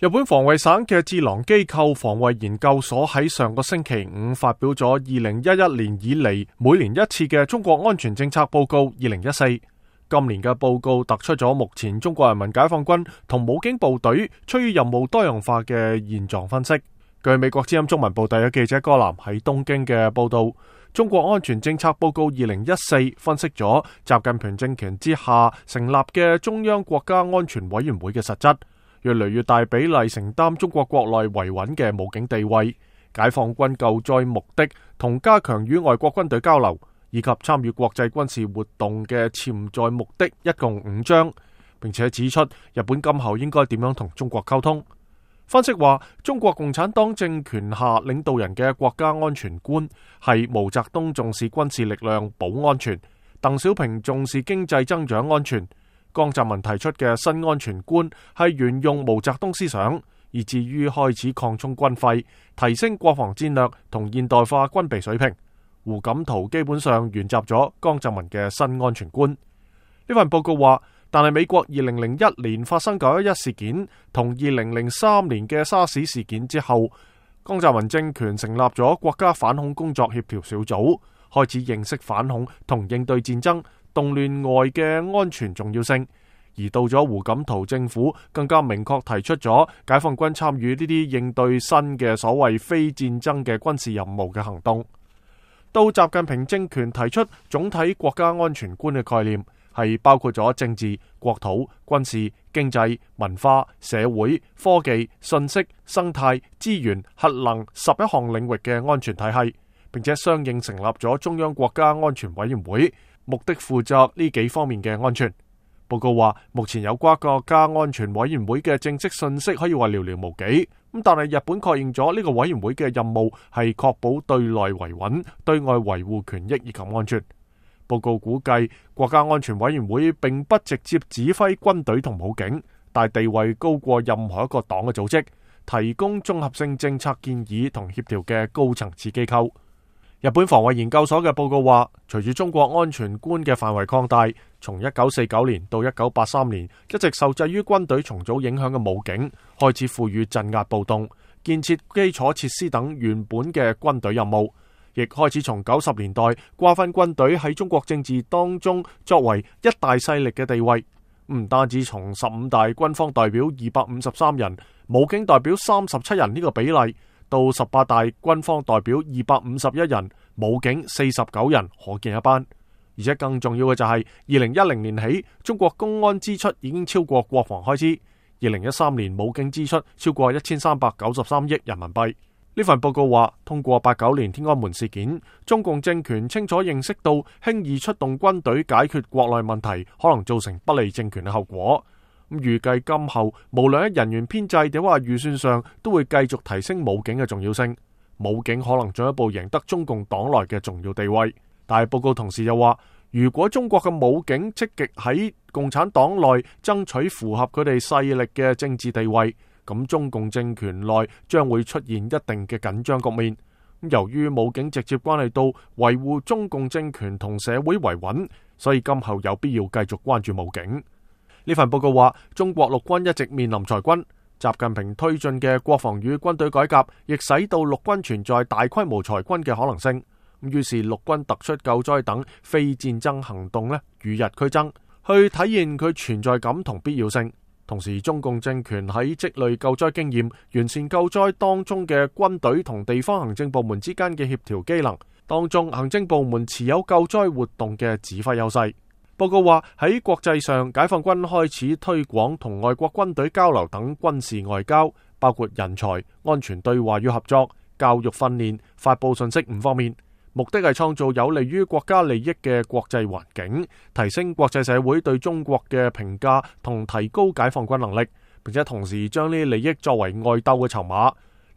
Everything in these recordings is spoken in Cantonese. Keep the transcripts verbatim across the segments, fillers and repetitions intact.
日本防衛省嘅智囊機構防衛研究所喺上個星期五發表咗二零一一年以嚟每年一次嘅中國安全政策報告二零一四。今年嘅報告突出咗目前中國人民解放軍同武警部隊趨於任務多樣化嘅現狀分析。據美國之音中文部第一記者戈南喺東京嘅報道，中國安全政策報告二零一四分析咗習近平政權之下成立嘅中央國家安全委員會嘅實質，越嚟越大比例承擔中國國內維穩嘅武警地位、解放軍救災目的同加強與外國軍隊交流，以及參與國際軍事活動嘅潛在目的，一共五章，並且指出日本今後應該點樣同中國溝通。分析話，中國共產黨政權下領導人嘅國家安全觀係毛澤東重視軍事力量保安全，鄧小平重視經濟增長安全，江澤民提出嘅新安全觀係沿用毛澤東思想，以至於開始擴充軍費，提升國防戰略同現代化軍備水平。胡錦濤基本上沿襲咗江澤民嘅新安全觀。呢份報告話，但係美國二零零一年發生九一一事件同二零零三年嘅沙士事件之後，江澤民政權成立咗國家反恐工作協調小組，開始認識反恐同應對戰爭、動亂外嘅安全重要性。而到咗胡錦濤政府，更加明確提出咗解放軍參與呢啲應對新嘅所謂非戰爭嘅軍事任務嘅行動。到習近平政權提出總體國家安全觀嘅概念，係包括咗政治、國土、軍事、經濟、文化、社會、科技、信息、生態、資源、核能十一項領域嘅安全體系，並且相應成立咗中央國家安全委員會，目的負責呢幾方面嘅安全。報告話，目前有關國家安全委員會嘅正式信息可以話寥寥無幾，咁但係日本確認咗呢個委員會嘅任務係確保對內維穩、對外維護權益以及安全。報告估計，國家安全委員會並不直接指揮軍隊同武警，但地位高過任何一個黨嘅組織，提供綜合性政策建議同協調嘅高層次機構。日本防衛研究所嘅報告話，隨住中國安全觀嘅範圍擴大，從一九四九年到一九八三年，一直受制於軍隊重組影響嘅武警開始賦予鎮壓暴動、建設基礎設施等原本嘅軍隊任務，亦開始從九十年代瓜分軍隊喺中國政治當中作為一大勢力嘅地位。唔單止從十五大軍方代表二百五十三人、武警代表三十七人呢個比例，到十八大軍方代表二百五十一人，武警四十九人，可見一斑。而且更重要嘅就係二零一零年起，中國公安支出已經超過國防開支。二零一三年武警支出超過一千三百九十三億人民幣。呢份報告話，通過八九年天安門事件，中共政權清楚認識到輕易出動軍隊解決國內問題可能造成不利政權嘅後果。咁預計今後無論喺人員編制定話預算上，都會繼續提升武警嘅重要性。武警可能進一步贏得中共黨內嘅重要地位。但係報告同時又話，如果中國嘅武警積極喺共產黨內爭取符合佢哋勢力嘅政治地位，咁中共政權內將會出現一定嘅緊張局面。由於武警直接關係到維護中共政權同社會維穩，所以今後有必要繼續關注武警。呢份報告話，中國陸軍一直面臨裁軍，習近平推進嘅國防與軍隊改革，亦使到陸軍存在大規模裁軍嘅可能性。於是陸軍突出救災等非戰爭行動呢，與日俱增，去體現佢存在感同必要性。同時，中共政權喺積累救災經驗、完善救災當中嘅軍隊同地方行政部門之間嘅協調機能當中，行政部門持有救災活動嘅指揮優勢。報告話，喺國際上，解放軍開始推廣同外國軍隊交流等軍事外交，包括人才、安全對話與合作、教育訓練、發佈信息五方面，目的係創造有利於國家利益嘅國際環境，提升國際社會對中國嘅評價同提高解放軍能力，並且同時將呢啲利益作為外鬥嘅籌碼，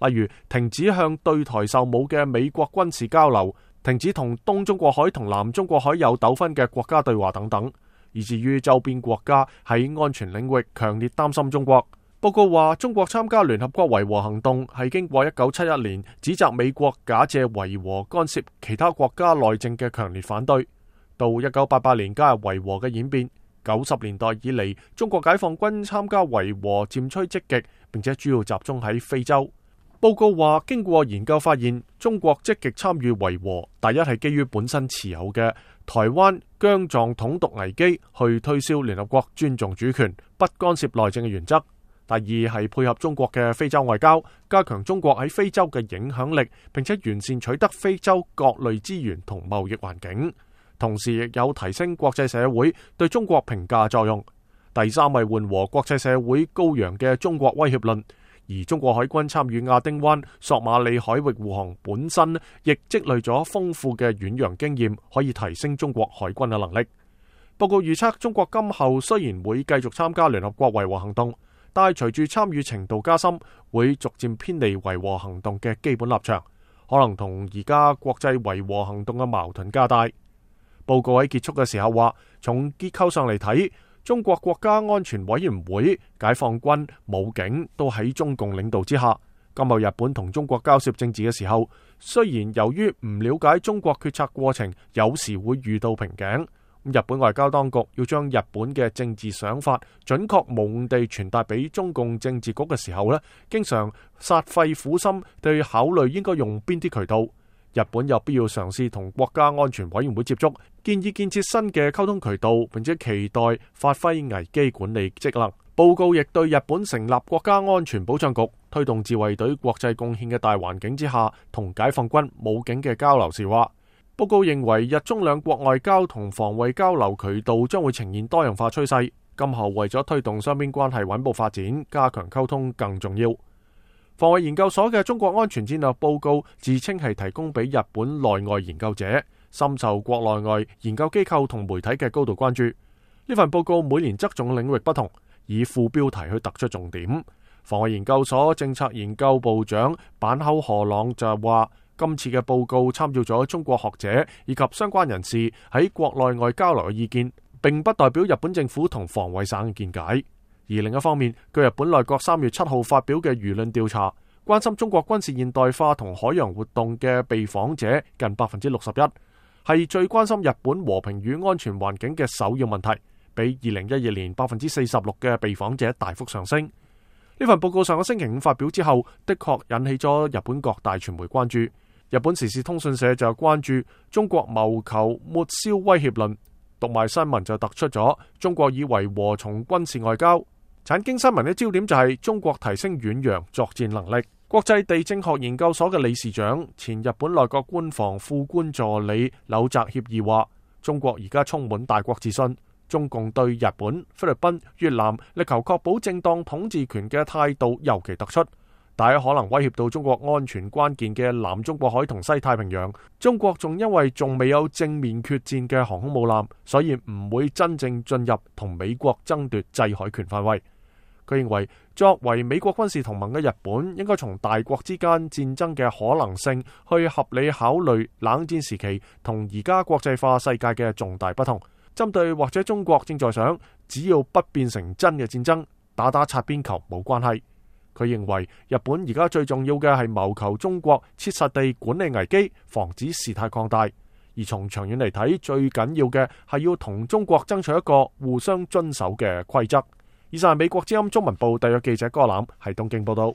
例如停止向對台售武嘅美國軍事交流，停止同東中國海同南中國海有糾紛嘅國家對話等等，以至於周邊國家喺安全領域強烈擔心中國。報告話，中國參加聯合國維和行動係經過一九七一年指責美國假借維和干涉其他國家內政嘅強烈反對，到一九八八年加入維和嘅演變，九十年代以嚟，中國解放軍參加維和漸趨積極，並且主要集中喺非洲。報告話，經過研究發現，中國積極參與維和，第一係基於本身持有嘅台灣疆藏統獨危機去推銷聯合國尊重主權、不干涉內政嘅原則；第二係配合中國嘅非洲外交，加強中國喺非洲嘅影響力，並且完善取得非洲各類資源同貿易環境。同時亦有提升國際社會對中國評價作用。第三係緩和國際社會高揚嘅中國威脅論。而中國海軍參與亞丁灣、索馬里海域護航本身亦積累咗豐富嘅遠洋經驗，可以提升中國海軍嘅能力。報告預測，中國今後雖然會繼續參加聯合國維和行動，但係隨住參與程度加深，會逐漸偏離維和行動嘅基本立場，可能同而家國際維和行動嘅矛盾加大。報告喺結束嘅時候話，從結構上嚟睇，中國國家安全委員會、解放軍、武警都喺中共領導之下。今後日本同中國交涉政治嘅時候，雖然由於唔了解中國決策過程，有時會遇到瓶頸。日本外交當局要將日本嘅政治想法準確無誤地傳達俾中共政治局嘅時候呢，經常煞費苦心對考慮應該用邊啲渠道。日本有必要嘗試同國家安全委員會接觸，建議建設新嘅溝通渠道，並且期待發揮危機管理職能。報告亦對日本成立國家安全保障局、推動自衛隊國際貢獻嘅大環境之下，同解放軍、武警嘅交流時話，報告認為日中兩國外交同防衛交流渠道將會呈現多樣化趨勢，今後為咗推動雙邊關係穩步發展，加強溝通更重要。防衛研究所嘅中國安全戰略報告自稱係提供俾日本內外研究者，深受國內外研究機構同媒體嘅高度關注。呢份報告每年側重領域不同，以副標題去突出重點。防衛研究所政策研究部長坂口賀朗就話，今次嘅報告參照咗中國學者以及相關人士喺國內外交流嘅意見，並不代表日本政府同防衛省嘅見解。而另一方面，據日本內閣三月七號發表嘅輿論調查，關心中國軍事現代化同海洋活動嘅被訪者近百分之六十一，係最關心日本和平與安全環境嘅首要問題，比二零一二年百分之四十六嘅被訪者大幅上升。呢份報告上個星期五發表之後，的確引起咗日本各大傳媒關注。日本時事通訊社就關注中國謀求抹消威脅論，讀賣新聞就突出咗中國以維和從軍事外交。產經新聞嘅焦點就係中國提升遠洋作戰能力。國際地政學研究所嘅理事長、前日本內閣官房副官助理柳澤協議話，中國而家充滿大國自信，中共對日本、菲律賓、越南力求確保正當統治權嘅態度尤其突出，但可能威脅到中國安全關鍵嘅南中國海同西太平洋。中國仲因為仲未有正面決戰嘅航空母艦，所以唔會真正進入同美國爭奪制海權範圍。佢認為，作為美國軍事同盟嘅日本，應該從大國之間戰爭嘅可能性去合理考慮冷戰時期同而家國際化世界嘅重大不同。針對或者中國正在想，只要不變成真嘅戰爭，打打擦邊球冇關係。佢認為，日本而家最重要嘅係謀求中國切實地管理危機，防止事態擴大。而從長遠嚟睇，最緊要嘅係要同中國爭取一個互相遵守嘅規則。以上係美國之音中文部特約記者哥藍喺東京報道。